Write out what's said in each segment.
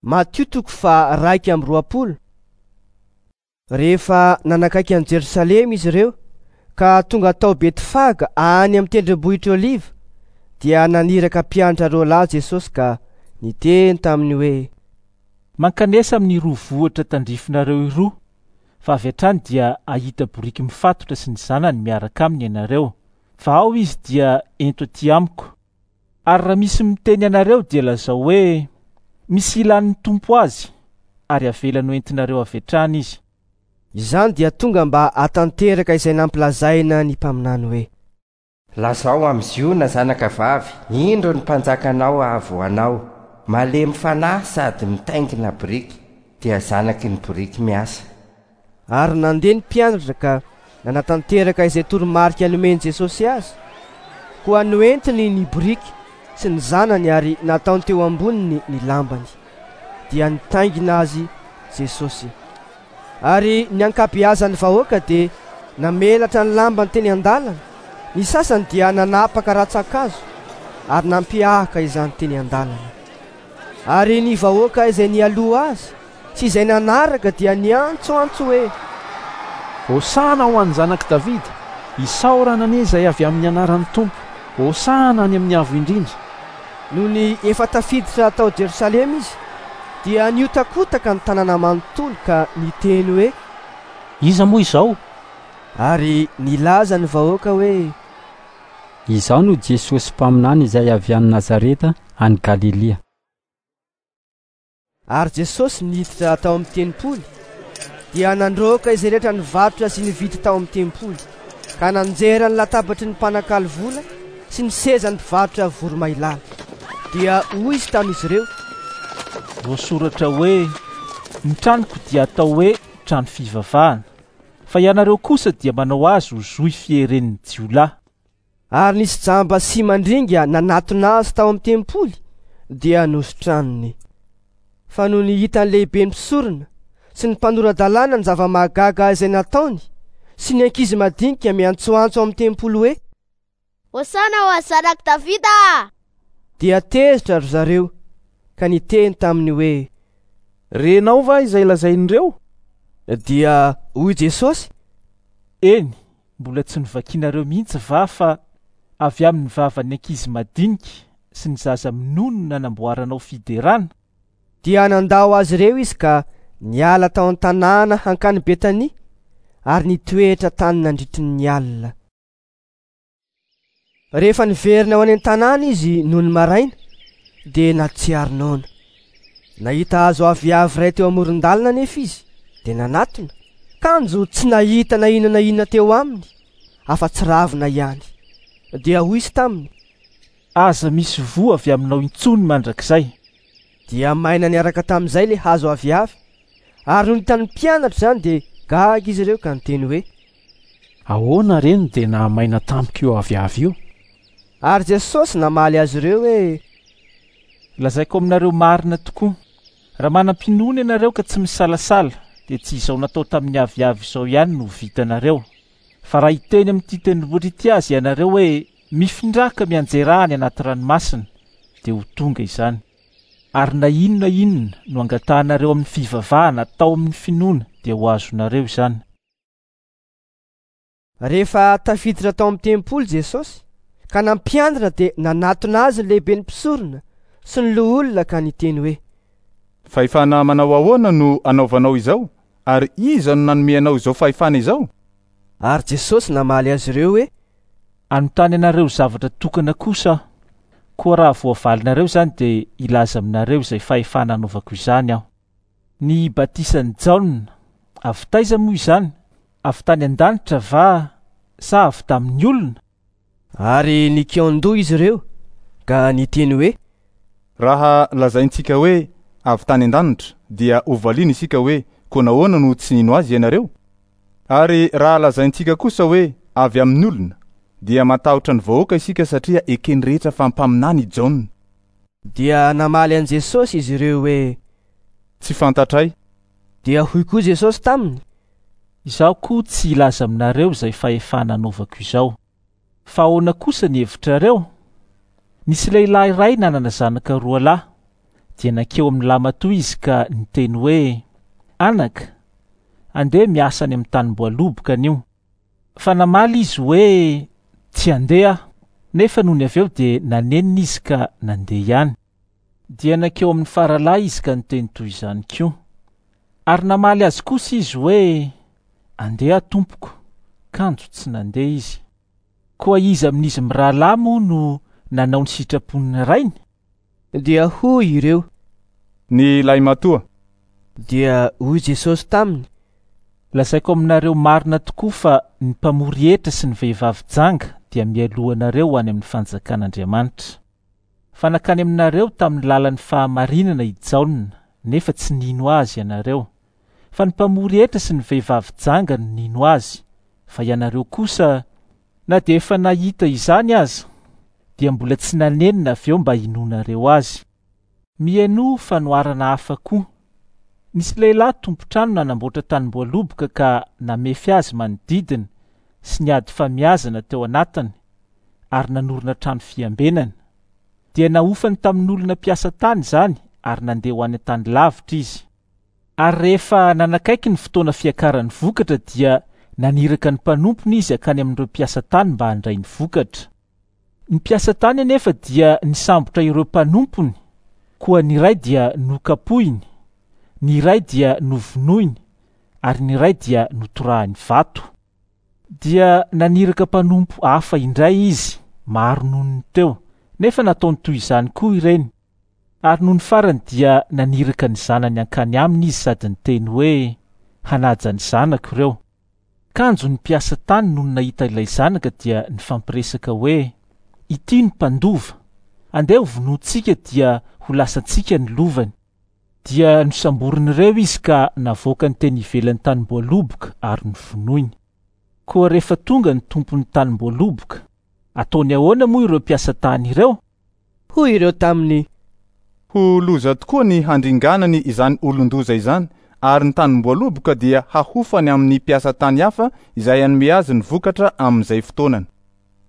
Matio toko faha-21. Rehefa nanakaiky an'i Jerosalema izy ireo ka tonga tao Betfaga any amin'ny tendrombohitra Oliva, dia naniraka mpianatra roa lahy Jesosy ka niteny taminy hoe: Mankanesa amin'iroa vohitra tandrifinareo iroa, fa avy hatrany dia hahita boriky mifatotra sy ny zanany miaraka aminy ianareo. Fa ao izy dia ento aty amiko. Ary raha misy miteny anareo dia lazao hoe, Misy ilan'ny Tompo azy, ary avelany hoentinareo avy hatrany izy. Izany dia tonga mba hahatanteraka izay nampilazaina ny mpaminany hoe. Lazao amin'i Ziona zanakavavy, Indro ny mpanjakanao avy ho anao, malemy fanahy sady mitaingina boriky, dia zanaky ny boriky miasa. Ary nandeha ny mpianatra ka nanatanteraka izay toromarika nomen'i Jesosy azy. Koa noentiny ny boriky sy ny zanany ary nataony teo amboniny ny lambany. Dia nitaingina azy Jesosy. Ary ny ankabeazan'ny vahoaka dia namelatra ny lambany teny an-dalana, ny sasany dia nanapaka rantsan-kazo ary nampihahaka izany teny an-dalana. Ary ny vahoaka izay nialoha azy sy izay nanaraka dia niantsoantso hoe. Hosana ho an'ny Zanak'i Davida! Isaorana anie izay avy amin'ny anaran'ny Tompo! Hosana any amin'ny avo indrindra! Nony efa tafiditra tao Jerosalema izy, dia nihotakotaka ny tanàna manontolo ka niteny hoe. Iza moa izao? Ary nilaza ny vahoaka hoe. Izaho no Jesosy mpaminany izay avy any Nazareta any Galilia. Ary Jesosy niditra tao amin'ny tempoly, dia nandroaka izay rehetra nivarotra sy nividy tao amin'ny tempoly, ka nanjera ny latabatry ny mpanakalo vola sy ny sezan'ny mpivarotra voromailala. Dia hoy izy tamin'izy ireo. Voasoratra hoe, Ny tranoko dia atao hoe trano fivavahana, fa ianareo kosa dia manao azy ho zohy fieren'ny jiolahy. Ary nisy jamba sy mandringa nanatona azy tao amin'ny tempoly, dia nositraniny. Fa nony hitan'ny lehiben'ny mpisorona sy ny mpanora-dalàna ny zava-mahagaga izay nataony, sy ny ankizy madinika miantsoantso ao amin'ny tempoly hoe. Hosana ho an'ny Zanak'i Davida! Dia tezitra ry zareo ka niteny taminy hoe. Renao va izay lazain'ireo? Dia hoy Jesosy. Eny, Mbola tsy novakianareo mihitsy va fa avy amin'ny vavan'ny ankizy madinika sy ny zaza minono no nanamboaranao fiderana? Dia nandao azy ireo izy ka niala tao an-tanàna hankany Betania ary nitoetra tany nandritry ny alina. Rehefa niverina ho any an-tanàna izy nony maraina, dia nahatsiaro noana. Nahita hazo aviavy iray teo amoron-dalana anefa izy, dia nanatona, kanjo tsy nahita na inona na inona teo aminy, afa-tsy ravina ihany. Dia hoy izy taminy. Aza misy voa avy aminao intsony mandrakizay. Dia maina niaraka tamin'izay ilay hazo aviavy, ary nony hitan'ny mpianatra izany dia gaga izy ireo ka niteny hoe. Ahoana re no dia nahamaina tampoka io aviavy io? Ary Jesosy namaly azy ireo hoe. Lazaiko aminareo marina tokoa, raha manam-pinoana ianareo ka tsy misalasala, dia tsy izao natao tamin'ny aviavy izao ihany no ho vitanareo. Fa raha hiteny amin'ity tendrombohitra ity aza ianareo hoe, Mifindrà ka mianjerà any anaty ranomasina, dia ho tonga izany. Ary na inona inona no angatahanareo amin'ny fivavahana atao amin'ny finoana, dia ho azonareo izany. Rehefa tafiditra tao amin'ny tempoly Jesosy ka nampianatra dia nanatona azy ny lehiben'ny mpisorona sy ny loholona ka niteny hoe. Fahefana manao ahoana no anaovanao izao, ary iza no nanome anao izao fahefana izao? Ary Jesosy namaly azy ireo hoe. Hanontany anareo zavatra tokana kosa aho, koa raha voavalinareo izany dia hilaza aminareo izay fahefana anaovako izany aho. Ny batisan'i Jaona, avy taiza moa izany? Avy tany an-danitra va sa avy tamin'ny olona? Ary nikaon-doha izy ireo ka niteny hoe. Raha lazaintsika hoe, Avy tany an-danitra, dia hovaliana isika hoe, Koa nahoana no tsy nino azy ianareo? Ary raha lazaintsika kosa hoe, Avy amin'ny olona, dia matahotra ny vahoaka isika satria eken'ny rehetra fa mpaminany i Jaona. Dia namaly an'i Jesosy izy ireo hoe. Tsy fantatray. Dia hoy koa Jesosy taminy. Izaho koa tsy hilaza aminareo izay fahefana anaovako izao. Fa ahoana kosa ny hevitrareo? Nisy lehilahy iray nanana zanaka roa lahy. Dia nankeo amin'ny lahimatoa izy ka niteny hoe, Anaka, andeha miasa any amin'ny tanim-boaloboka anio. Fa namaly izy hoe, Tsy handeha aho. Nefa nony avy eo dia nanenina izy ka nandeha ihany. Dia nankeo amin'ny faralahy izy ka niteny toy izany koa. Ary namaly azy kosa izy hoe, Andeha aho tompoko, kanjo tsy nandeha izy. Koa iza amin'izy mirahalahy moa no nanao ny sitrapon'ny rainy? Dia hoy ireo. Ny lahimatoa. Dia hoy Jesosy taminy. Lazaiko aminareo marina tokoa fa ny mpamory hetra sy ny vehivavy janga dia mialoha anareo ho any amin'ny fanjakan'Andriamanitra. Fa nankany aminareo tamin'ny lalan'ny fahamarinana i Jaona, nefa tsy nino azy ianareo. Fa ny mpamory hetra sy ny vehivavy janga no nino azy, fa ianareo kosa, na dia efa nahita izany aza, dia mbola tsy nanenina avy eo mba hinoanareo azy. Mihainoa fanoharana hafa koa. Nisy lehilahy tompon-trano nanamboatra tanimboaloboka ka namefy azy manodidina sy niady famiazana teo anatiny ary nanorina trano fiambenana. Dia nahofany tamin'olona mpiasa tany izany ary nandeha ho any an-tany lavitra izy. Ary rehefa nanakaiky ny fotoana fiakaran'ny vokatra dia naniraka ny mpanompony izy hankany amin'ireo mpiasa tany mba handray ny vokatra. Ny mpiasa tany anefa dia nisambotra ireo mpanompony, koa ny iray dia nokapohiny, ny iray dia novonoiny, ary ny iray dia notorahiny vato. Dia naniraka mpanompo hafa indray izy, maro noho ny teo, nefa nataony toy izany koa ireny. Ary nony farany dia naniraka ny zanany hankany aminy izy sady niteny hoe, Hanaja ny zanako ireo. Kanjo ny mpiasa tany nony nahita ilay zanaka dia nifampiresaka hoe, Ity no mpandova. Andeha hovonointsika dia ho lasantsika ny lovany. Dia nosamborin'ireo izy ka navoakany teny ivelan'ny tanimboaloboka ary novonoiny. Koa rehefa tonga ny tompon'ny tanimboaloboka, ataony ahoana moa ireo mpiasa tany ireo? Hoy ireo taminy. Ho loza tokoa ny handringanany izany olon-doza izany, ary ny tanim-boaloboka dia hahofany amin'ny mpiasa tany hafa izay hanome azy ny vokatra amin'izay fotoanany.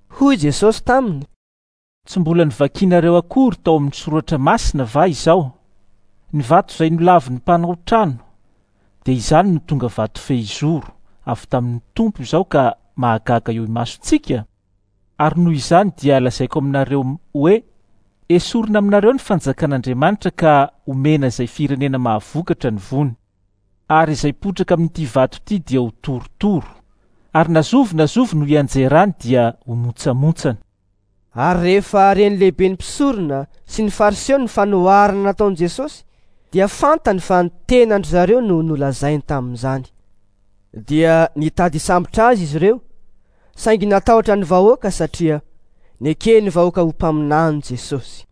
Hoy Jesosy taminy. Tsy mbola novakinareo akory tao amin'ny Soratra Masina va izao, Ny vato izay nolavin'ny mpanao trano, dia izany no tonga vato fehizoro, avy tamin'ny Tompo izao ka mahagaga eo imasontsika? Ary noho izany dia lazaiko aminareo hoe, Esorina aminareo ny fanjakan'Andriamanitra ka omena izay firenena mahavokatra ny voany. Ary izay potraka amin'ity vato ity dia ho torotoro, ary na zovy na zovy no hianjerany dia ho montsamontsana. Ary rehefa ren'ny lehiben'ny mpisorona sy ny Fariseo ny fanoharana nataon'i Jesosy, dia fantany fa ny tenan-dry zareo no nolazainy tamin'izany. Dia nitady hisambotra azy izy ireo, saingy natahotra ny vahoaka satria neken'ny vahoaka ho mpaminany Jesosy.